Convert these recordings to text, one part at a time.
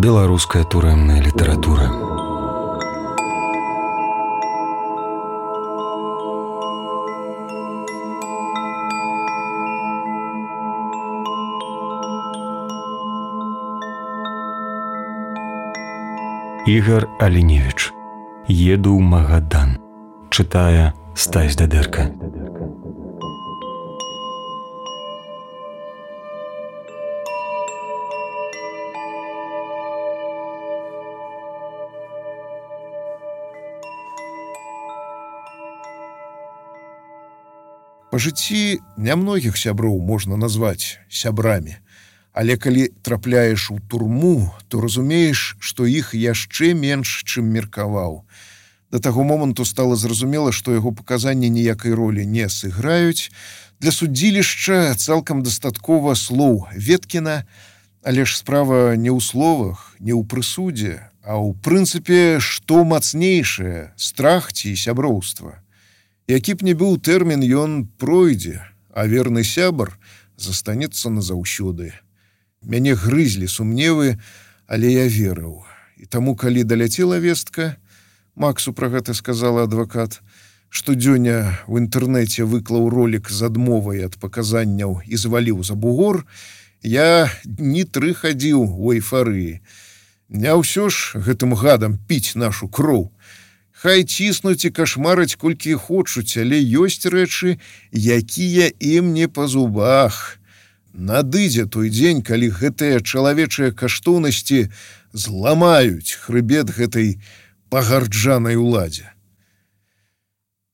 Беларуская турэмная літаратура. Ігар Аліневіч. Еду ў Магадан. Чытае Стась Дадэрка. Па жыцці нямногіх сяброў можна назваць сябрамі, але калі трапляеш у турму, то разумееш, што іх яшчэ менш, чым меркаваў. Да таго моманту стала зразумела, што яго паказанні ніякай ролі не сыграюць. Для судзілішча цалкам дастаткова слоў Веткіна, але ж справа не ў словах, не ў прысудзе, а ў прынцыпе, што мацнейшае, страх ці сяброўства. Які б не быў тэрмін, ён пройдзе, а верны сябар застанецца назаўсёды. Мяне грызлі сумневы, але я верыў. І таму, калі даляцела вестка, Максу пра гэта сказала адвакат, штодзёння ў інтэрнэце выклаў ролік з адмовай ад паказанняў і зваліў за бугор, я дні 3 хадзіў у эйфарыі. Не ўсё ж гэтым гадам піць нашу кроў. Хай ціснуць і кашмараць колькі хочуць, але ёсць рэчы, якія ім не па зубах. Надыдзе той дзень, калі гэтыя чалавечыя каштоўнасці зламаюць хрыбет гэтай пагарджанай уладзе.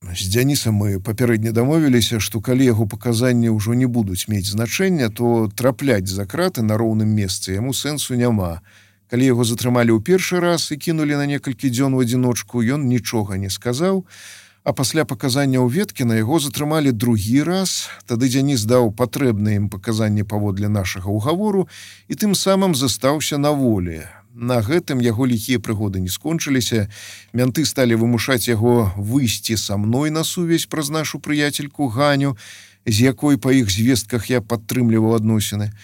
З Дзянісам мы папярэдне дамовіліся, што калі яго паказанні ўжо не будуць мець значэння, то трапляць за краты на роўным месцы яму сэнсу няма. Калі яго затрымалі ў першы раз і кінулі на некалькі дзён у адзіночку, ён нічога не сказаў, а пасля паказанняў Веткіна яго затрымалі другі раз, тады Дзяніс даў патрэбныя ім паказанні паводле нашага ўгавору і тым самым застаўся на волі. На гэтым яго ліхія прыгоды не скончыліся, мянты сталі вымушаць яго выйсці са мной на сувязь праз нашу прыяцельку Ганю, з якой па іх звестках я падтрымліваў адносіны.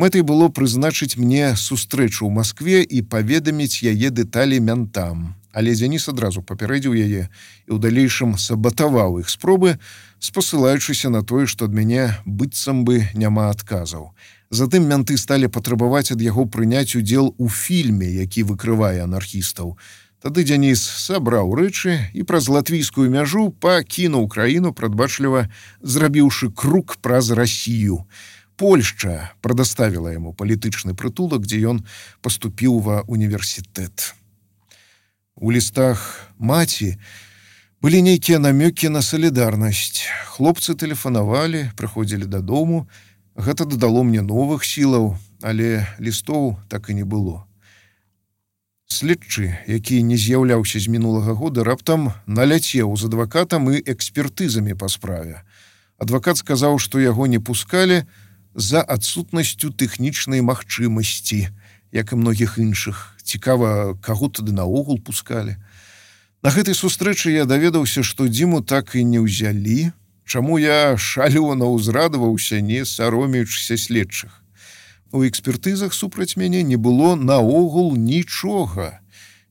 Мэтай было прызначыць мне сустрэчу ў Маскве і паведаміць яе дэталі мянтам. Але Дзяніс адразу папярэдзіў яе і ў далейшым сабатаваў іх спробы, спасылаючыся на тое, што ад мяне быццам бы няма адказаў. Затым мянты сталі патрабаваць ад яго прыняць удзел у фільме, які выкрывае анархістаў. Тады Дзяніс сабраў рэчы і праз латвійскую мяжу пакінуў краіну, прадбачліва зрабіўшы круг праз Расію. Польшча прадаставіла яму палітычны прытулак, дзе ён паступіў ва універсітэт. У лістах маці былі нейкія намёкі на салідарнасць. Хлопцы тэлефанавалі, прыходзілі дадому. Гэта дадало мне новых сілаў, але лістоў так і не было. Следчы, які не з'яўляўся з мінулага года, раптам наляцеў з адвакатам і экспертызамі па справе. Адвакат сказаў, што яго не пускалі за адсутнасцю тэхнічнай магчымасці, як і многіх іншых. Цікава, каго тады наогул пускалі. На гэтай сустрэчы я даведаўся, што Дзіму так і не ўзялі, чаму я шалёна ўзрадаваўся, не саромеючыся следчых. У экспертызах супраць мяне не было наогул нічога.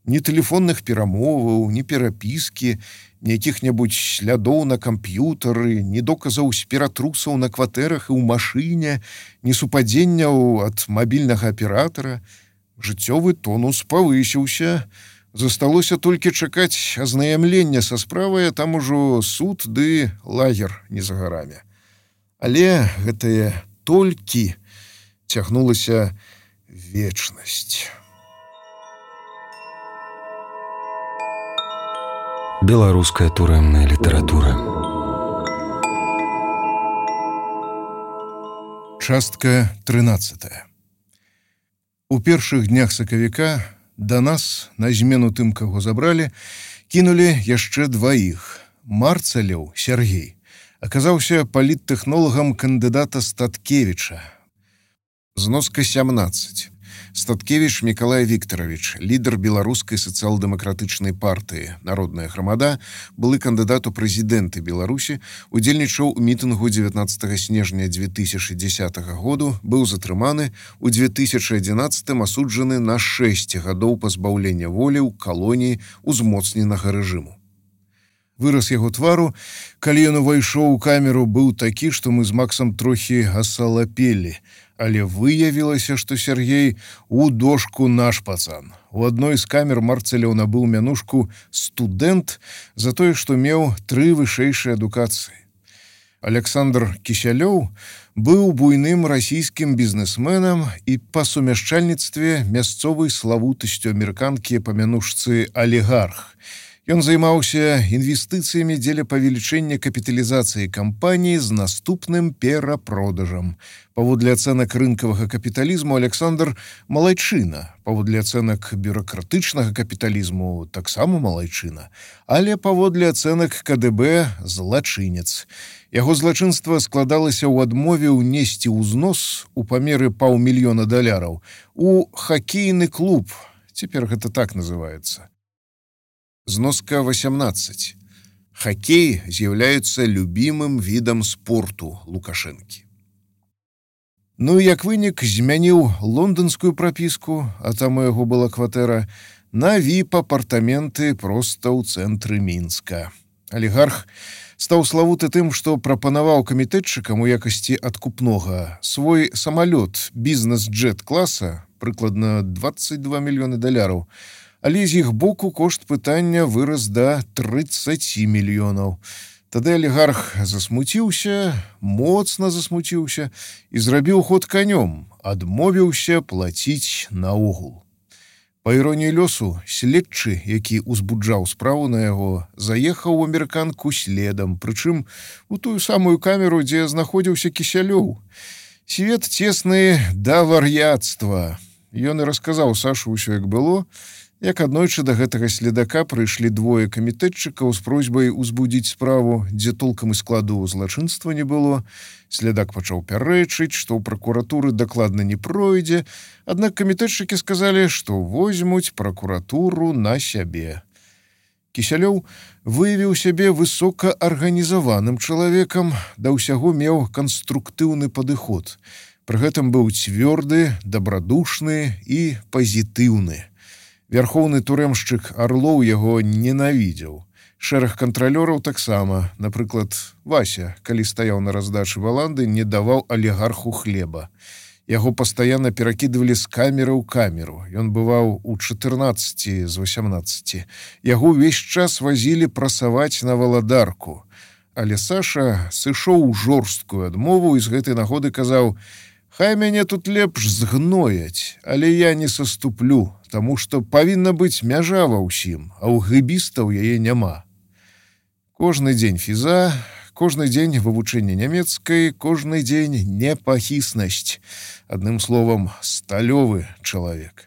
Ні тэлефонных перамоваў, ні перапіскі, ні якіх-небудзь слядоў на камп'ютары, ні доказаў спіратрусаў на кватэрах і ў машыне, ні супадзенняў ад мабільнага аператара. Жыццёвы тонус павысіўся. Засталося толькі чакаць азнаямлення са справай, а там ужо суд ды лагер не за гарамі. Але гэтае толькі цягнулася вечнасць. Беларуская турэмная літаратура. Частка 13. У першых днях сакавіка да нас, на змену тым, каго забралі, кінулі яшчэ дваіх. Марцалеў Сергей аказаўся паліттэхнолагам кандыдата Статкевіча. Зноска 17. Статкевіч Мікалай Віктаравіч, лідар беларускай сацыял-дэмакратычнай партыі «Народная грамада», былы кандыдат у прэзідэнты Беларусі, удзельнічаў у мітынгу 19 снежня 2010 году, быў затрыманы, у 2011 асуджаны на 6 гадоў пазбаўлення волі ў калоніі узмоцненага рэжыму. Выраз яго твару, калі ён увайшоў у камеру, быў такі, што мы з Максам трохі асалапелі, але выявілася, што Сергей у дошку наш пацан. У адной з камер Марцеляў набыў мянушку «студэнт» за тое, што меў 3 вышэйшыя адукацыі. Александр Кісялёў быў буйным расійскім бізнесменам і па сумяшчальніцтве мясцовай славутасцю амерыканкі па мянушцы «алігарх». Ён займаўся інвестыцыямі дзеля павелічэння капіталізацыі кампаніі з наступным перапродажам. Паводле ацэнак рынкавага капіталізму Александр малайчына, паводле ацэнак бюракратычнага капіталізму таксама малайчына, але паводле ацэнак КДБ злачынец. Яго злачынства складалася ў адмове ўнесці ўзнос у памеры $500 000 у хакейны клуб, цяпер гэта так называецца. Зноска 18. Хоккей з'яўляецца любімым відам спорту Лукашэнкі. Ну і як вынік змяніў лонданскую прапіску, а там у яго была кватэра, на VIP-апартаменты проста ў цэнтры Мінска. Алігарх стаў славуты тым, што прапанаваў камітэтчыкам у якасці адкупнога свой самалёт бізнес-джет класа, прыкладна $22 мільёны, але з іх боку кошт пытання вырас да 30 мільёнаў. Тады алігарх засмуціўся, моцна засмуціўся і зрабіў ход канём, адмовіўся плаціць наогул. Па іроніі лёсу, следчы, які узбуджаў справу на яго, заехаў у амерыканку следам, прычым у тую самую камеру, дзе знаходзіўся Кісялёў. Свет цесны да вар'яцтва. Ён і расказаў Сашу ўсё, як было, як аднойчы да гэтага следака прыйшлі 2 камітэтчыкаў з просьбай узбудзіць справу, дзе толкам і складу злачынства не было. Следак пачаў пярэчыць, што ў пракуратуры дакладна не пройдзе, аднак камітэтчыкі сказалі, што возьмуць пракуратуру на сябе. Кісялёў выявіў сябе высокаарганізаваным чалавекам, да ўсяго меў канструктыўны падыход. Пры гэтым быў цвёрды, дабрадушны і пазітыўны. Вярхоўны турэмшчык Арлоў яго ненавідзеў. Шэраг кантралёраў таксама. Напрыклад, Вася, калі стаяў на раздачы баланды, не даваў алігарху хлеба. Яго пастаянна перакідвалі з камеры ў камеру. Ён бываў у 14 з 18. Яго ўвесь час вазілі прасаваць на валадарку. Але Саша сышоў у жорсткую адмову і з гэтай нагоды казаў: «Хай мяне тут лепш згнояць, але я не саступлю, таму што павінна быць мяжа ва ўсім, а ў гэбістаў яе няма». Кожны дзень фіза, кожны дзень вывучэння нямецкай, кожны дзень непахіснасць. Адным словам, сталёвы чалавек.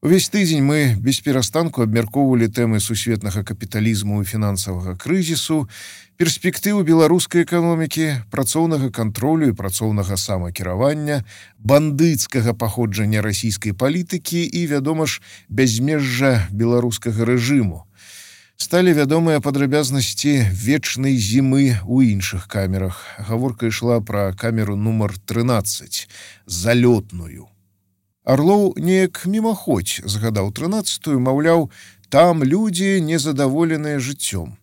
Увесь тыдзень мы без перастанку абмяркоўвалі тэмы сусветнага капіталізму і фінансавага крызісу, перспектывы беларускай эканомікі, працоўнага кантролю і працоўнага самакіравання, бандыцкага паходжання расійскай палітыкі і, вядома ж, бязмежжа беларускага рэжыму. Сталі вядомыя падрабязнасці вечнай зімы ў іншых камерах. Гаворка ішла пра камеру нумар 13, залётную. Арлоў неяк мімаходзь згадаў 13-ю, маўляў, там людзі незадаволеныя жыццём.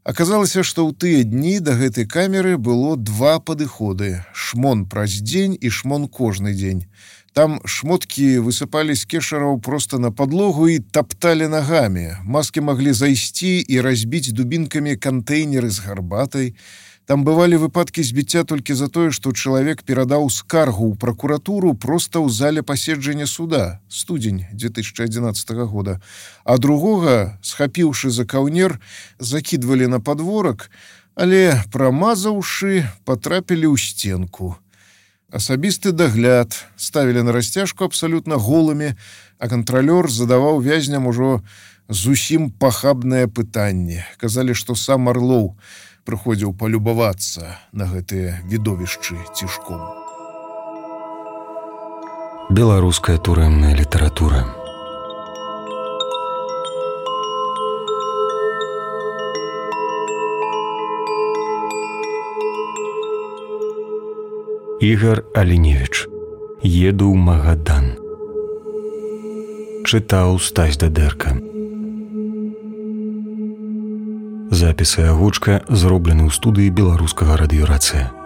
Аказалася, што ў тыя дні да гэтай камеры было 2 падыходы: шмон праз дзень і шмон кожны дзень. Там шмоткі высыпалі з кешараў проста на падлогу і тапталі нагамі. Маскі маглі зайсці і разбіць дубінкамі кантэйнеры з гарбатай. Там бывалі выпадкі збіцця толькі за тое, што чалавек перадаў скаргу ў пракуратуру проста ў зале паседжання суда, студзень 2011 года, а другога, схапіўшы за каўнер, закідвалі на падворак, але, прамазаўшы, патрапілі ў стенку. Асабісты дагляд ставілі на расцяжку абсалютна голымі, а кантралёр задаваў вязням ужо зусім пахабнае пытанне. Казалі, што сам Арлоў прыходзіў палюбавацца на гэтыя відовішчы цішком. Беларуская турэмная літаратура. Ігар Аліневіч. Еду ў Магадан. Чытаў Стась Дадэрка. Запісы агучка зроблены ў студыі беларускага радыёрацыя.